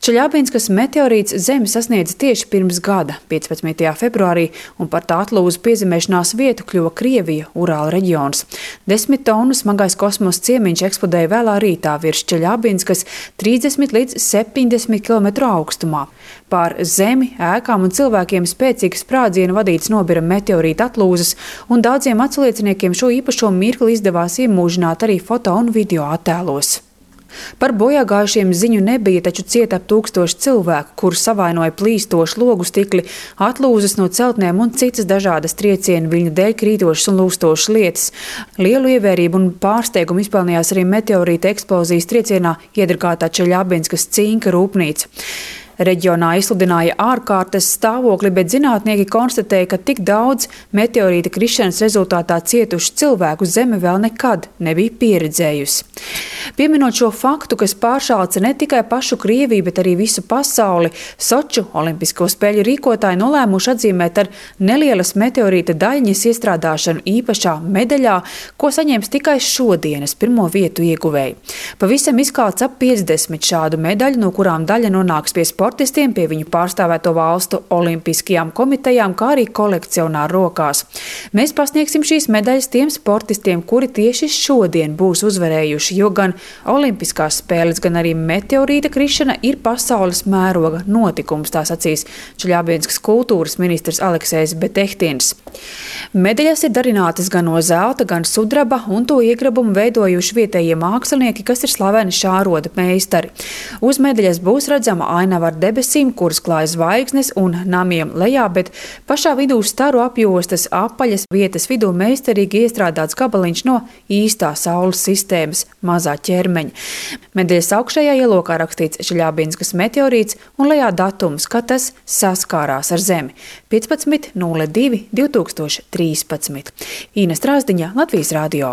Čeļabinskas meteorīts Zemi sasniedza tieši pirms gada, 15. februārī, un par tā atlūzu piezemēšanās vietu kļuva Krievija, Urāla reģions. 10 tonu smagais kosmosa ciemiņš eksplodēja vēlā rītā virs Čeļabinskas 30 līdz 70 km augstumā. Pār Zemi, ēkām un cilvēkiem spēcīga sprādziena vadīts nobira meteorīta atlūzas, un daudziem atslieciniekiem šo īpašo mirkli izdevās iemūžināt arī foto un video attēlos. Par bojāgājušiem ziņu nebija, taču cieta ap 1000 cilvēku, kurus savainoja plīstoši logu stikli, atlūzas no celtnēm un citas dažādas triecienu viļņu dēļ krītošas un lūstošas lietas. Lielu ievērību un pārsteigumu izpelnījās arī meteorīta eksplozijas triecienā iedragātā Čeļabinskas cinka rūpnīca. Reģionā izsludināja ārkārtas stāvokli, bet zinātnieki konstatēja, ka tik daudz meteorīta krišanas rezultātā cietušu cilvēku Zeme vēl nekad nebija pieredzējusi. Pieminot šo faktu, kas pāršāca ne tikai pašu Krieviju, bet arī visu pasauli, Soču olimpisko spēļu rīkotāji nolēmuši atzīmēt ar nelielas meteorīta daļņas iestrādāšanu īpašā medaļā, ko saņems tikai šodienas pirmo vietu ieguvēji. Pavisam izkalts ap 50 šādu medaļu, no kurām daļa nonāks pie sportistiem, pie viņu pārstāvēto valstu olimpiskajām komitejām, kā arī kolekcionāru rokās. Mēs pasniegsim šīs medaļas tiem sportistiem, kuri tieši šodien būs uzvarējuši, jo gan olimpiskās spēles, gan arī meteorīta krišana ir pasaules mēroga notikums, tā sacīs Čeļabinskas kultūras ministrs Aleksejs Betehtins. Medaļas ir darinātas gan no zelta, gan sudraba, un to iegrabumu veidojuši vietējie mākslinieki, kas ir slaveni šā roda meistari. Uz medaļas būs redzama ainava ar debesīm, kuras klāj zvaigznes un namiem lejā, bet pašā vidū staru apjostas apaļas vietas vidū meistarīgi iestrādāts gabaliņš no īstā saules sistēmas mazā ķermeņa. Medaļas augšējā ielokā rakstīts Čeļabinskas meteorīts un lejā datums, kad tas saskārās ar Zemi – 15.02.2013. Ines Strāzdiņa, Latvijas radio.